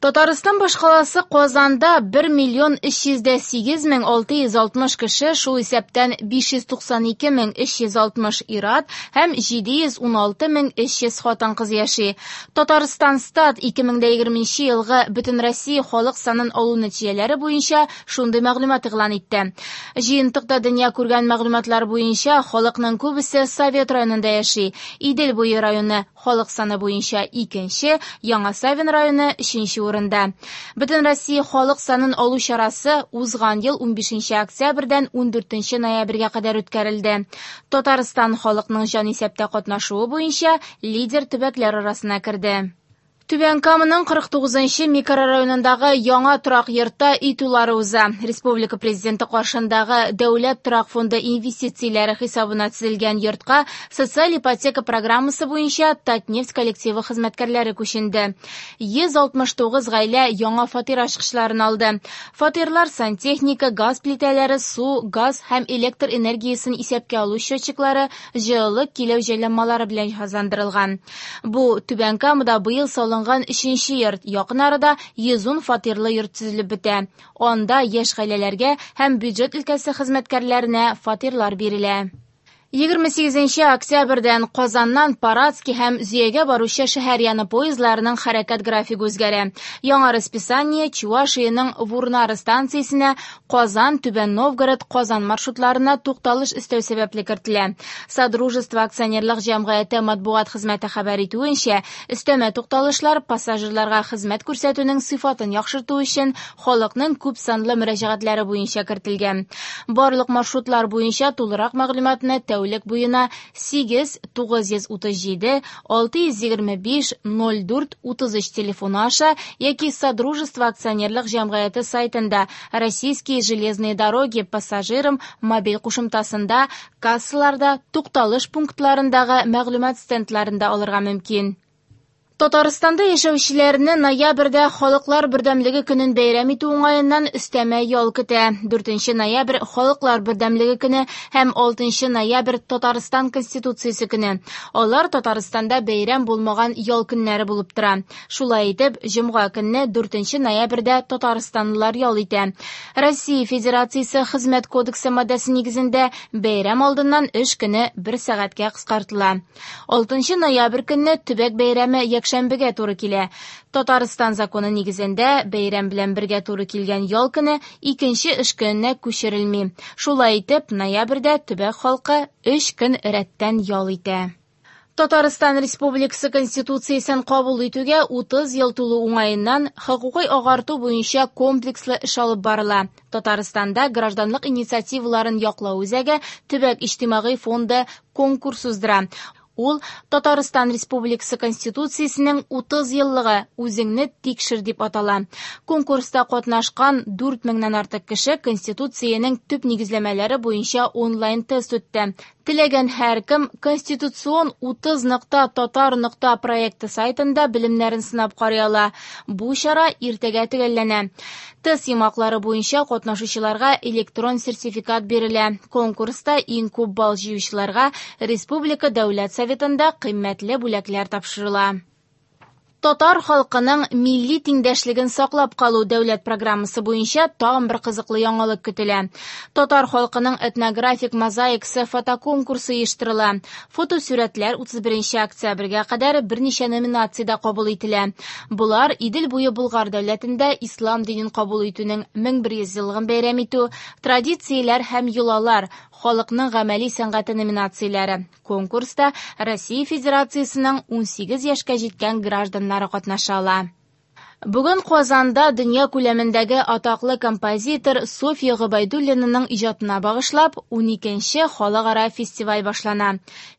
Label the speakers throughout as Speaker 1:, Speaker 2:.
Speaker 1: Татарстан башкаласы Казанда 1 миллион 308 мең 660 кеше, шул исәптән 592 мең 360 ир-ат һәм 716 мең 300 хатын-кыз яши. Татарстанстат 2020 елгы Бөтенроссия халык санын алу нәтиҗәләре буенча шундый мәгълүмат игълан итте. Җыентыкта дөнья күргән мәгълүматлар буенча халыкның күбесе Совет районында яши. Идел буе районы халык саны буенча икенче, Яңа Савин районы өченче урында. Бөтенроссия халык санын алу чарасы узган ел 15 октябрьдән 14 ноябрьгә кадәр үткәрелде. Татарстан халыкның җанисәптә катнашуы буенча лидер төбәкләр арасына керде. Түбән Каманың 49 микрорайонындагы яңа торак йортта өй туйлары уза. Республика Президенты каршындагы Дәүләт торак фонды инвестицияләре хисабына төзелгән йортка социаль ипотека программасы буенча Татнефть коллективы хезмәткәрләре күченде. 169 гаилә яңа фатир ачкычларын алды. Фатирлар сантехника, газ плитәләре, су, газ һәм электр энергиясен исәпкә алу счетчиклары, җылылык киләү җайланмалары белән җиһазландырылган. Бу Түбән Камада быел салынган өченче йорт. Якын арада 110 фатирлы йорт төзелеп бетә. Анда яшь гаиләләргә һәм бюджет өлкәсе хезмәткәрләренә фатирлар бирелә. 28 октябрьдән Казаннан Парадский һәм Зөягә баручы шәһәр яны поездларының хәрәкәт графигы үзгәрә. Яңа расписание Чувашиянең Вурнары станциясенә Казан, Түбән Новгород, Казан маршрутларына тукталыш өстәү сәбәпле кертелә. Содружество акционерлык җәмгыяте матбугат хезмәте хәбәр итүенчә, өстәмә тукталышлар пассажирларга хезмәт күрсәтүнең сыйфатын яхшырту өчен халыкның күп санлы мөрәҗәгатьләре буенча кертелгән. Барлык маршрутлар буенча тулырак мәгълүматны тәүлек буена 8 937 625 04 33 телефоны аша яки Содружество акционерлык җәмгыяте сайтында Российские железные дороги пассажирам мобиль кушымтасында, кассаларда, тукталыш пунктларындагы мәгълүмат стендларында алырга мөмкин. Татарстанда яшәүчеләрне ноябрьдә Халыклар бердәмлеге көнен бәйрәм итү уңаеннан өстәмә ял көтә. 4 ноябрь Халыклар бердәмлеге көне һәм 6 ноябрь Татарстан Конституциясе көне. Алар Татарстанда бәйрәм булмаган ял көннәре булып тора. Шулай итеп, җомга көнне 4 ноябрьдә татарстанлылар ял итә. Россия Федерациясе Хезмәт кодексы маддәсе нигезендә бәйрәм алдыннан эш көне 1 сәгатькә кыскартыла. 6 ноябрь көнне төбәк бәйрәме якшәмбегә туры килә. Татарстан законы нигезендә бәйрәм белән бергә туры килгән ял көне икенче эш көненә күчерелми. Шулай итеп, ноябрьдә төбәк халкы 3 көн рәттән ял итә. Татарстан Республикасы Конституциясен кабул итүгә 30 ел тулу уңаеннан хокукый агарту буенча комплекслы эш алып барыла. Татарстанда гражданлык инициативаларын яклау үзәге төбәк иҗтимагый фонды конкурс уздыра. Ул Татарстан Республикасы Конституциясенең 30 еллыгы үзеңне тикшер дип атала. Конкурста катнашкан 4000-нән артык кеше Конституциянең төп нигезләмәләре буенча онлайн тест үтте. Теләгән һәркем Конституцион 30.tatar. проекты сайтында белемнәрен сынап карый ала. Бу чара иртәгә төгәлләнә. Тест йомгаклары буенча катнашучыларга электрон сертификат бирелә. Конкурста иң күп балл җыючыларга Республика Дәүләт Советында кыйммәтле бүләкләр тапшырыла. Татар халкының милли тиңдәшлеген саклап калу дәүләт программасы буенча тагын бер кызыклы яңалык көтелә. Татар халкының этнографик мозаикасы фотоконкурсы оештырыла. Фотосурәтләр 31 октябрьгә кадәр берничә номинациядә кабул ителә. Болар Идел буе Болгар дәүләтендә ислам динен кабул итүнең 1100 еллыгын бәйрәм итү, традицияләр һәм йолалар, халыкның гамәли сәнгате номинацияләре. Конкурста Россия Федерациясенең 18 яшькә җиткән гражданнары катнаша ала. Бүген Казанда дөнья күләмендәге атаклы композитор Софья Гобәйдуллинаның иҗатына багышлап 12нче халыкара фестиваль башлана.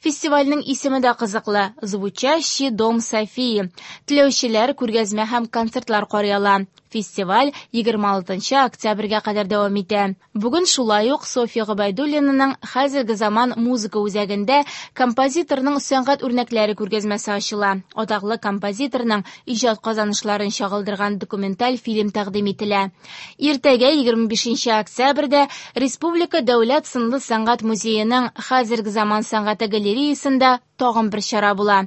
Speaker 1: Фестивальнең исеме дә кызыклы «Звучащий дом Софии». Теләүчеләр күргәзмә һәм концертлар карый ала. Фестиваль 26 октябрьгә кадәр дәвам итә. Бүген шулай ук Софья Гобәйдуллинаның хәзерге заман музыка үзәгендә композиторның сәнгать үрнәкләре күргәзмәсе ачыла. Атаклы композиторның иҗат казанышларын чагылдырган документаль фильм тәкъдим ителә. Иртәгә 25 октябрьдә Республика дәүләт сынлы сәнгать музееның хәзерге заман сәнгате галереясында тагын бер чара була.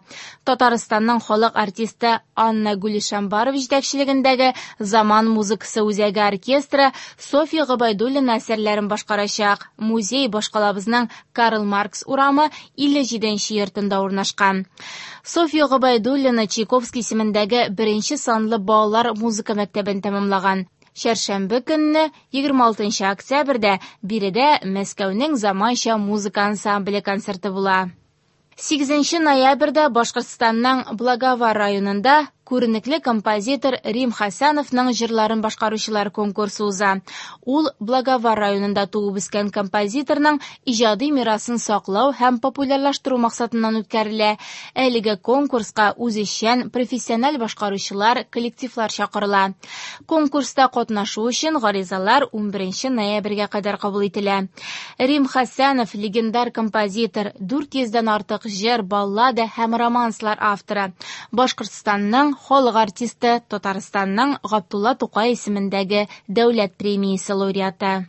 Speaker 1: Татарстанның халык артисты Анна Гулишамбарова җитәкчелегендәге Заман музыкасы үзәге оркестры Софья Гобәйдуллина әсәрләрен башкарачак. Музей башкалабызның Карл Маркс урамы 57 нче йортында урнашкан. Софья Гобәйдуллина Чайковский исемендәге беренче санлы балалар музыка мәктәбен тәмамлаган. Чәршәмбе көнне, 26 октябрьдә, биредә Мәскәүнең заманча музыка ансамбле концерты була. 8 ноябрьдә Башкортстанның Благовар районында күренекле композитор Рим Хәсәновның җырларын башкаручылар конкурсы уза. Ул Благовар районында туып үскән композиторның иҗади мирасын саклау һәм популярлаштыру максатыннан үткәрелә. Әлеге конкурска үзешчән, профессиональ башкаручылар, коллективлар чакырыла. Конкурста катнашу өчен гаризалар 11 ноябрьгә кадәр кабул ителә. Рим Хәсәнов легендар композитор, 400 дән артык җыр, баллада һәм романслар авторы. Башкортстанның халык артисты, Татарстанның Габдулла Тукай исемендәге дәүләт премиясе лауреаты.